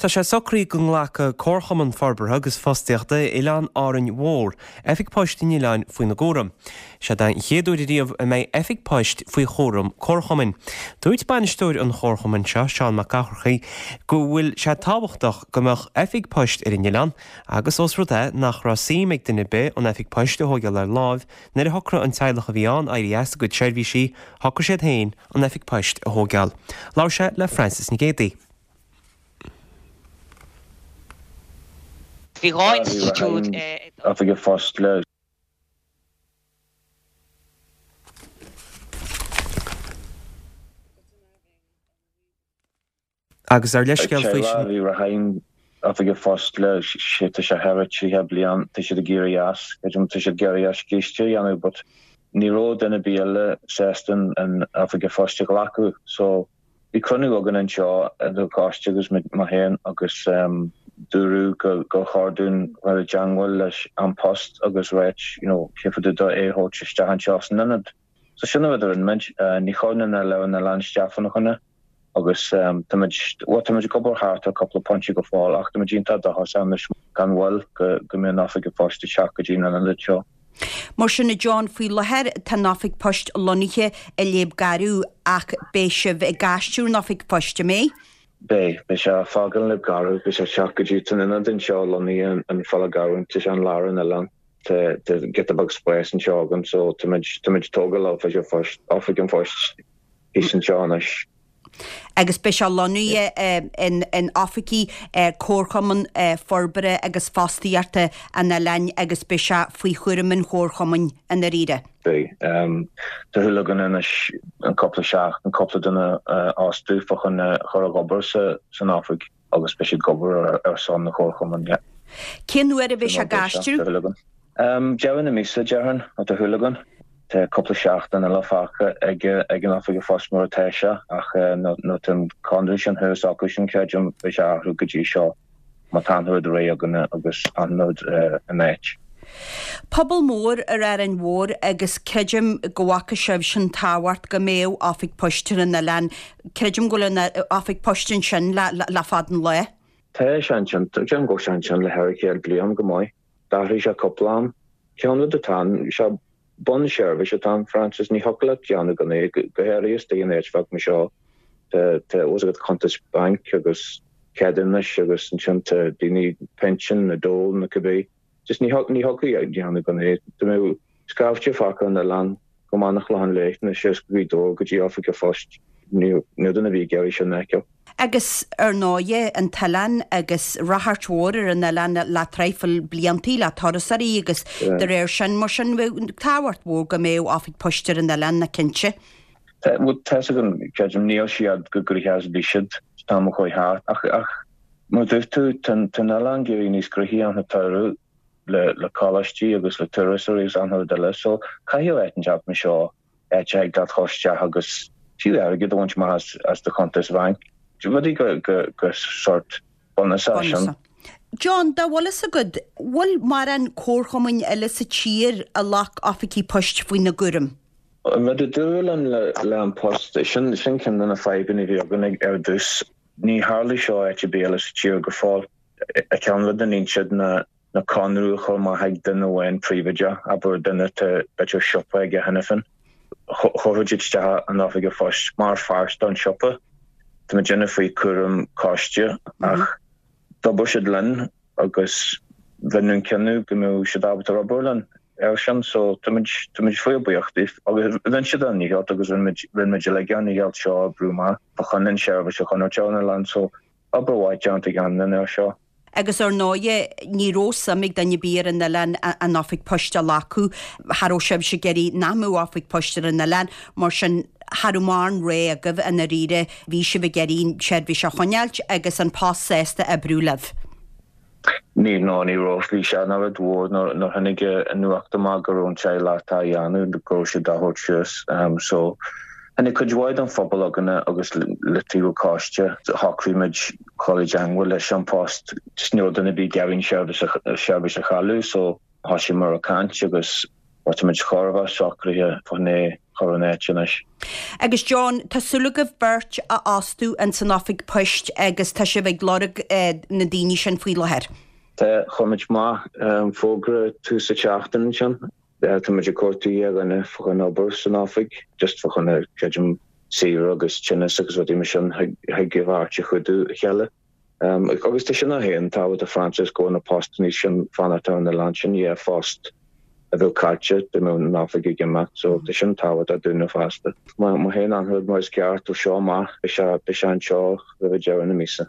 Tá sé socraithe go nglacfaidh Comharchumann Forbartha agus Fostaíochta Oileán Árainn Mhór oifig poist an oileáin faoina gcúram. Sé den chéad uair ariamh a mbeidh oifig poist faoi chúram comharchumainn. Dúirt bainisteoir an chomharchumainn seo, Seán Mac Eachmharcaigh, go bhfuil sé tábhachtach go mbeadh oifig poist ar an oileán agus ós rud é nach raibh suim ag duine ar bith an oifig poist a thóigeáil ar láimh nuair a shocraigh an teaghlach a bhí ann éirí as a gcuid seirbhísí, shocraigh siad féin an oifig poist a thóigeáil. Labhair sé le Frances Nic Géadaigh. Bhí 2 institiúid i. Oifig an Phoist le. Agus ár leithscéal faoi sin. Bhí Raheem Oifig an Phoist le sé tá sé thar 30 bliain tá siad ag éirí as creidim tá siad ag éirí as císte a dhéanamh but ní raibh duine ar bith eile sásta an Oifig an Phoist a ghlacadh so Bhí cruinniú againn anseo idir coiste agus mé féin agus dúradh gur chóir dúinn dhul i dteangmháil leis An Post agus ráit you know cé fá dtaobh de é a thabhairt isteach anseo san ionad. So sin an rud a rinne muid. Ní chuir duine eile ar an oileán isteach fána choinne agus táimid, bhuel táimid ag obair thart ar cúpla pointe go fóill ach táimid iontach dóchasach anois gan mhoill go mbeidh an Oifig an Phoist ag teacht go dtí an ionad seo. Mar sin, a John, faoi láthair tá an Oifig Poist lonnaithe i Léab Garbh ach beidh sibh ag aistriú an Oifig Phoist, an mbeidh? Beidh. Beidh sé ag fágáil Léab Garbh. Beidh sé ag teacht go dtí an ionad anseo lonnaithe in Falla Garbh, tá sé in lár an oileáin. Tá giota beag spáis anseo againn so táimid ag tógáil Oifig an Phoist, Oifig an Phoist thíos anseo anois. agus beidh sé lonnaithe in oifigí Comharchumann Forbartha agus Fostaíochta an oileáin agus beidh sé faoi chúram an Chomharchumainn i ndáiríre. Beidh. Tá súil againn anois in cúpla seachtain cúpla duine a fhostú fá choinne chur ag obair san oifig agus beidh siad ag obair ar son an Chomharchumainn, yeah. Cén uair a bheidh sé ag aistriú? Tá súil againn. Deireadh na míosa, déarfainn, tá súil againn. Tá cúpla seachtain eile fágtha ag an Oifig an Phoist mar atá sé ach nuair atá an conradh sin thuas acu sin, creidim, beidh sé athrú go dtí seo má tá an rud réidh againne agus an rud in áit. Pobal mór ar Árainn Mhór agus creidim go bhfaca sibhse an tábhacht go mbeadh Oifig Poist ar an oileán. Creidim go bhfuil an Oifig Poist ansin le fada an lá. Tá sé ansin, creidim go bhfuil sé ansin le thar 100 bliain go maith. D'athraigh sé cúpla am. Cén rud atá ann? Sé bunseirbhís atá ann, Frances. Ní thiocfadh leat déanamh gan é, go háirithe istigh in áit bheag mar seo. Tá tá fhios agat cuntas bainc agus ceadúnais agus ansin tá daoine pinsean nó dole nó cibé. Just ní ní thiocfadh leat déanamh gan é. Dá mbeadh scaifte fágtha ar an oileán go mbeadh an Clochán Léith nó síos go Gaoth Dobhair go dtí oifig an phoist, ní ní duine a bhí ag iarraidh sin a fheiceáil. Agus, ar ndóighe, an t-oileán agus ráchairt mhór ar an oileán le traidhfil bliantaí, le turasóirí agus de réir sin, mar sin, bheadh tábhacht mhór go mbeadh oifig poist ar an oileán, ná cinnte. Tá, bhuel, tá's agam, creidim, níl siad chomh gnoitheach is a bhí siad an t-am a chuaigh thart, ach, ach, mar a dúirt tú, tá an, tá an oileán ag éirí níos gnoithí an tsamhradh le, le coláistí agus le turasóirí agus achan rud eile, so caithfidh áit inteacht mar seo áit a thig leat dhul isteach agus fiú airgead a bhaint amach as do chuntas bhainc. Rudaí go sórt bunúsach sin. John, dá bhfuil fhios agat, bhfuil mórán comharchumainn eile sa tír a ghlac oifigí poist faoina gcúram? An rud a dúradh linn le An Post, sin ceann de na fadhbanna a bhí againn ar dtús. Ní tharlaigh seo áit ar bith eile sa tír go fóill. Ceann rud a níonn siad ná ná conradh a chur amach ag duine amháin príobháideach, abair duine atá b'fhéidir siopa aige cheana féin. Chuirfeadh siad isteach an oifig an phoist mar pháirt don siopa. Tá muidinne faoi chúram coiste ach d'obair siad linn agus rinneadh an cinneadh go mbeadh siad ábalta obair linn air sin so tá muid tá muid fíor buíoch díobh agus rinne siad a ndícheall agus rinne muid rinne muid uilig ár ndícheall seo a oibriú amach fá choinne an seirbhís a choinneáil ar an oileán so obair mhaith déanta ag an duine air seo. Agus ar ndóighe, ní raibh suim ag duine ar bith ar an oileán an oifig poist a ghlacadh. Cha raibh sibhse ag iarraidh nach mbeadh oifig poist ar an oileán, mar sin cha raibh mórán rogha agaibh i ndáiríre, bhí sibh ag iarraidh an tseirbhís a choinneáilt agus An Post sásta oibriú libh. Ní, no, ní raibh. Bhí sé ina rud mhór nuair tháinig an nuacht amach go raibh an teaghlach á dhéanamh, go raibh siad á thabhairt suas. So, tháinig cuid mhaith den phobal againne agus le taobh an choiste, shocraigh muid dhul i dteangmháil leis An Post. Just ní raibh duine ar bith ag iarraidh an seirbhís a chailleadh so thosaíomar ag caint agus. Tá muid chóir a bheith socraithe fá choinne é chur in áit anois. Agus John, tá súil agaibh beirt a fhostú ins an oifig poist agus tá sibh ag lorg na daoine sin faoi láthair. Tá, chuir muid amach fógra tús na seachtaine ansin. Tá muid ag cuartú dhá dhuine fá choinne obair san oifig, just fá choinne, creidim, saoire agus tinneas agus rudaí mar sin, thig an bheirt a chuidiú a chéile. Agus tá sin féin tábhachtach Francis go bhfuil na postanna sin fanacht ar an oileán sin, yeah, phost a bheadh caillte dá mbeadh an oifig ag imeacht so tá sin tábhachtach dúinne fosta. Má théann an rud mar is ceart ó seo amach beidh sé beidh sé anseo roimh deireadh na míosa.